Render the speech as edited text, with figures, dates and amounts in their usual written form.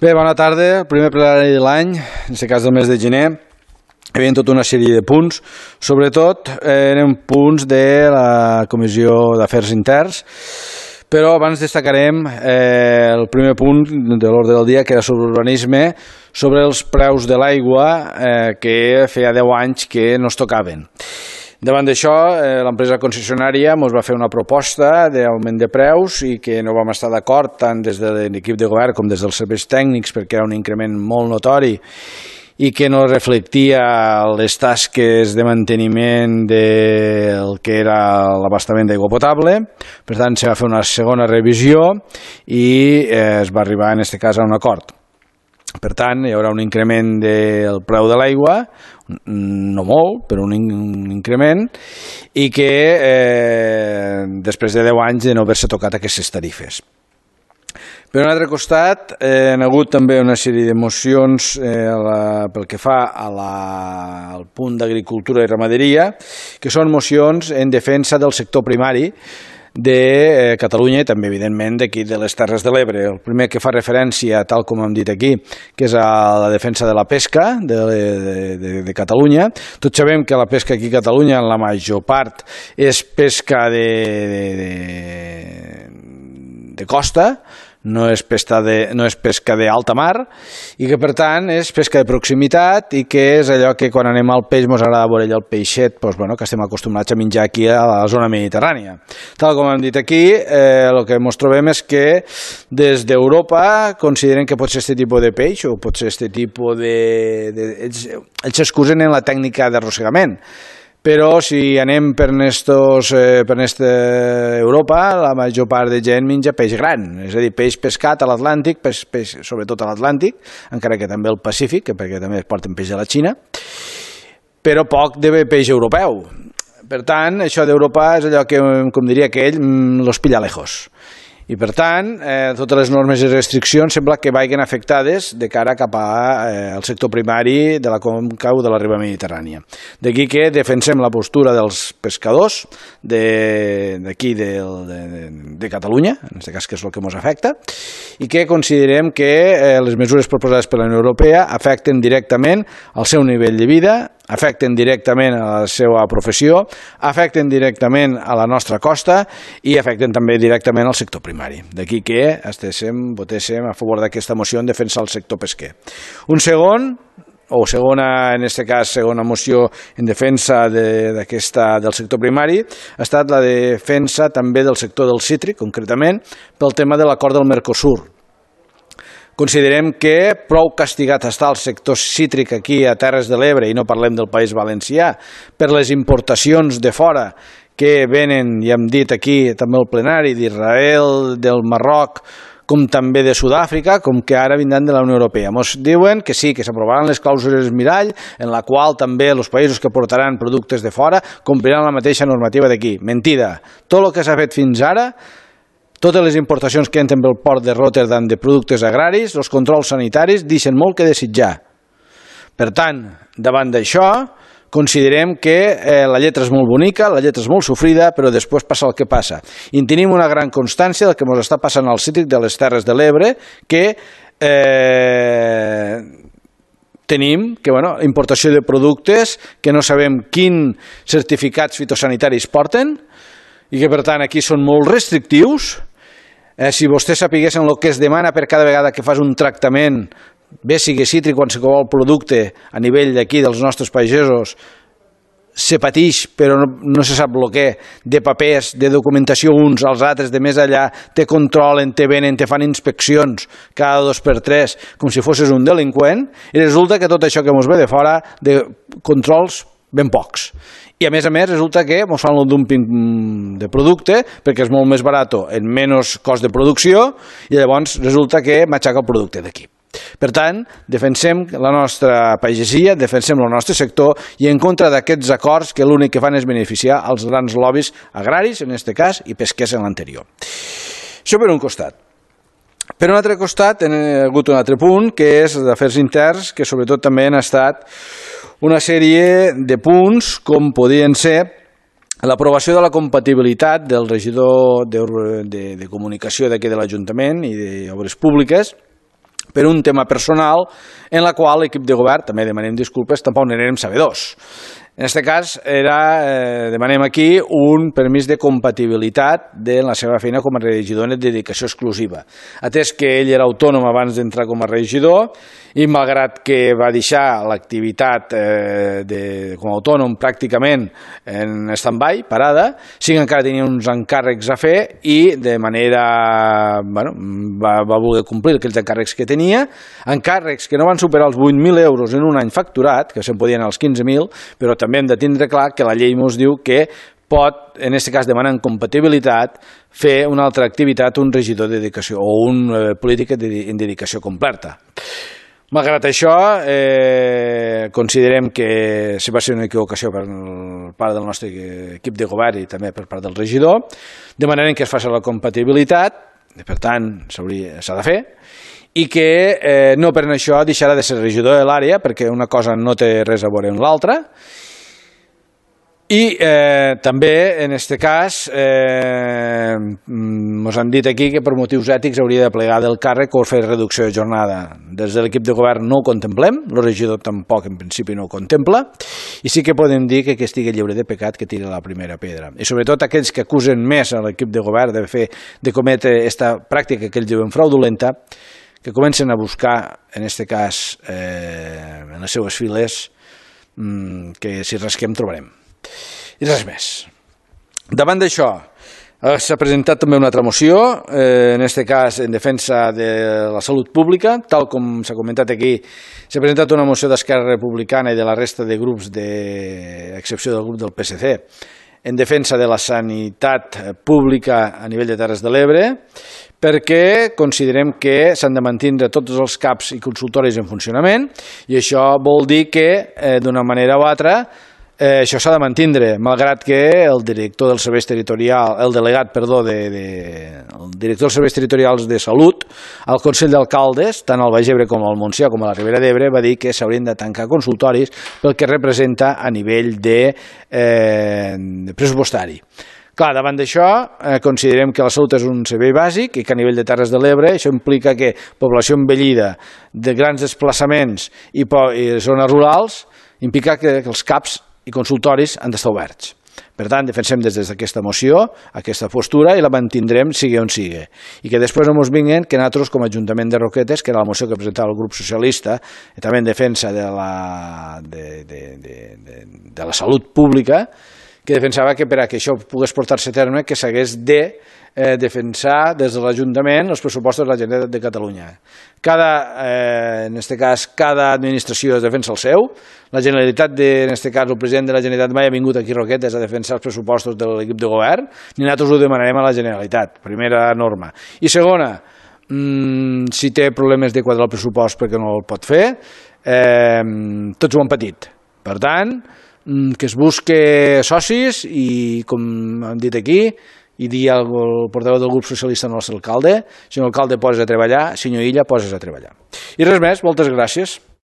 Bé, bona tarda. El primer plenari de l'any, en aquest cas del mes de gener, hi havia tota una sèrie de punts. Sobretot eren punts de la Comissió d'Afers Interns, però abans destacarem el primer punt de l'ordre del dia, que era sobre urbanisme, sobre els preus de l'aigua que feia 10 anys que no es tocaven. Davant d'això, l'empresa concessionària ens va fer una proposta d'augment de preus i que no vam estar d'acord tant des de l'equip de govern com des dels serveis tècnics, perquè era un increment molt notori i que no reflectia les tasques de manteniment del que era l'abastament d'aigua potable. Per tant, se va fer una segona revisió i es va arribar en aquest cas a un acord. Per tant, hi haurà un increment del preu de l'aigua, no molt, però un increment, i que després de 10 anys de no haver-se tocat aquestes tarifes. Per un altre costat, hi ha hagut també una sèrie de mocions pel que fa al punt d'agricultura i ramaderia, que són mocions en defensa del sector primari de Catalunya i també, evidentment, d'aquí de les Terres de l'Ebre. El primer que fa referència, tal com hem dit aquí, que és a la defensa de la pesca de Catalunya. Tots sabem que la pesca aquí a Catalunya, en la major part, és pesca de costa, no és pesca d'alta mar, i que per tant és pesca de proximitat i que és allò que quan anem al peix ens agrada veure el peixet que estem acostumats a menjar aquí a la zona mediterrània. Tal com hem dit aquí, el que ens trobem és que des d'Europa consideren que pot ser aquest tipus de peix o pot ser aquest tipus ells s'excusen en la tècnica d'arrossegament. Però si anem per Europa, la major part de gent menja peix gran, és a dir, peix pescat a l'Atlàntic, sobretot a l'Atlàntic, encara que també al Pacífic, perquè també es porten peix de la Xina, però poc de peix europeu. Per tant, això d'Europa és allò que, com diria aquell, los pilla lejos. I per tant, totes les normes i restriccions sembla que vagin afectades de cara cap al sector primari de la conca o de la riba mediterrània. D'aquí que defensem la postura dels pescadors d'aquí de Catalunya, en aquest cas que és el que ens afecta, i que considerem que les mesures proposades per la Unió Europea afecten directament al seu nivell de vida, afecten directament a la seva professió, afecten directament a la nostra costa i afecten també directament al sector primari. D'aquí que votéssim a favor d'aquesta moció en defensa del sector pesquer. En aquest cas, segona moció en defensa del sector primari ha estat la defensa també del sector del cítric, concretament, pel tema de l'acord del Mercosur. Considerem que prou castigat està el sector cítric aquí a Terres de l'Ebre, i no parlem del País Valencià, per les importacions de fora que venen, i hem dit aquí també al plenari, d'Israel, del Marroc, com també de Sud-àfrica, com que ara vindran de la Unió Europea. Ens diuen que sí, que s'aprovaran les clàusules mirall, en la qual també els països que portaran productes de fora compliran la mateixa normativa d'aquí. Mentida. Tot el que s'ha fet fins ara, totes les importacions que entren pel port de Rotterdam de productes agraris, els controls sanitaris deixen molt que desitjar. Per tant, davant d'això, considerem que la lletra és molt bonica, la lletra és molt sofrida, però després passa el que passa. I tenim una gran constància del que ens està passant al cítric de les Terres de l'Ebre, que tenim importació de productes que no sabem quins certificats fitosanitaris porten i que per tant aquí són molt restrictius. Si vostès sapiguessin el que es demana per cada vegada que fas un tractament, bé sigui cítric o qualsevol producte a nivell d'aquí dels nostres pagesos, se pateix però no se sap el que, de papers, de documentació uns als altres, de més allà, te controlen, te venen, te fan inspeccions cada 2x3, com si fossis un delinqüent, i resulta que tot això que ens ve de fora, de controls ben pocs. I a més resulta que ens fan el dumping de producte perquè és molt més barat en menys cost de producció i llavors resulta que m'aixeca el producte d'aquí. Per tant, defensem la nostra pagesia, defensem el nostre sector i en contra d'aquests acords que l'únic que fan és beneficiar els grans lobbies agraris, en aquest cas, i pesquers en l'anterior. Això per un costat. Per un altre costat, hi ha hagut un altre punt, que és d'afers interns, que sobretot també han estat una sèrie de punts, com podien ser l'aprovació de la compatibilitat del regidor de comunicació d'aquí de l'Ajuntament i d'Obres Públiques per un tema personal en la qual l'equip de govern, també demanem disculpes, tampoc n'érem sabedors. En aquest cas, demanem aquí un permís de compatibilitat de la seva feina com a regidor en dedicació exclusiva. Atès que ell era autònom abans d'entrar com a regidor i malgrat que va deixar l'activitat com a autònom pràcticament en stand-by, parada, sí que encara tenia uns encàrrecs a fer i de manera... va voler complir aquells encàrrecs que tenia, encàrrecs que no van superar els 8.000 euros en un any facturat, que se'n podien als 15.000, però també hem de tindre clar que la llei ens diu que pot, en aquest cas demanant compatibilitat, fer una altra activitat un regidor de dedicació o un polític en dedicació completa. Malgrat això, considerem que va ser una equivocació per part del nostre equip de govern i també per part del regidor. Demanarem que es faci la compatibilitat, per tant, s'ha de fer, i que no per això deixarà de ser regidor de l'àrea, perquè una cosa no té res a veure amb l'altra. I també, en aquest cas, ens han dit aquí que per motius ètics hauria de plegar del càrrec o fer reducció de jornada. Des de l'equip de govern no ho contemplem, el regidor tampoc en principi no ho contempla, i sí que podem dir que estigui lliure de pecat que tiri la primera pedra. I sobretot aquells que acusen més a l'equip de govern de cometre aquesta pràctica que ells diuen fraudulenta, que comencen a buscar, en aquest cas, en les seues files, que si rasquem trobarem. I res més. Davant d'això, s'ha presentat també una altra moció, en aquest cas en defensa de la salut pública, tal com s'ha comentat aquí, s'ha presentat una moció d'Esquerra Republicana i de la resta de grups, a excepció del grup del PSC, en defensa de la sanitat pública a nivell de Terres de l'Ebre, perquè considerem que s'han de mantenir tots els CAPs i consultoris en funcionament, i això vol dir que, d'una manera o altra, això s'ha de mantenir, malgrat que el director dels serveis territorials, el delegat, perdó, el director dels serveis territorials de salut, al Consell d'Alcaldes, tant al Baix Ebre com al Montsià com a la Ribera d'Ebre, va dir que s'haurien de tancar consultoris pel que representa a nivell de pressupostari. Clar, davant d'això, considerem que la salut és un servei bàsic i que a nivell de Terres de l'Ebre això implica que població envellida, de grans desplaçaments i zones rurals, implica que els CAPs i consultoris han d'estar oberts. Per tant, defensem des d'aquesta moció aquesta postura i la mantindrem sigui on sigui. I que després no ens vinguin que nosaltres, com a Ajuntament de Roquetes, que era la moció que presentava el grup socialista, també en defensa de la salut pública, que defensava que per a que això pogués portar-se a terme que s'hagués de defensar des de l'Ajuntament els pressupostos de la Generalitat de Catalunya. En aquest cas, cada administració es defensa el seu. La Generalitat, en aquest cas, el president de la Generalitat mai ha vingut aquí a Roquetes a defensar els pressupostos de l'equip de govern, ni nosaltres ho demanarem a la Generalitat, primera norma. I segona, si té problemes de quadrar el pressupost perquè no el pot fer, tots ho han patit. Per tant, que es busque socis i, com han dit aquí, i dir al portaveu del grup socialista al nostre alcalde, senyor alcalde, poses a treballar, senyor Illa, poses a treballar. I res més, moltes gràcies.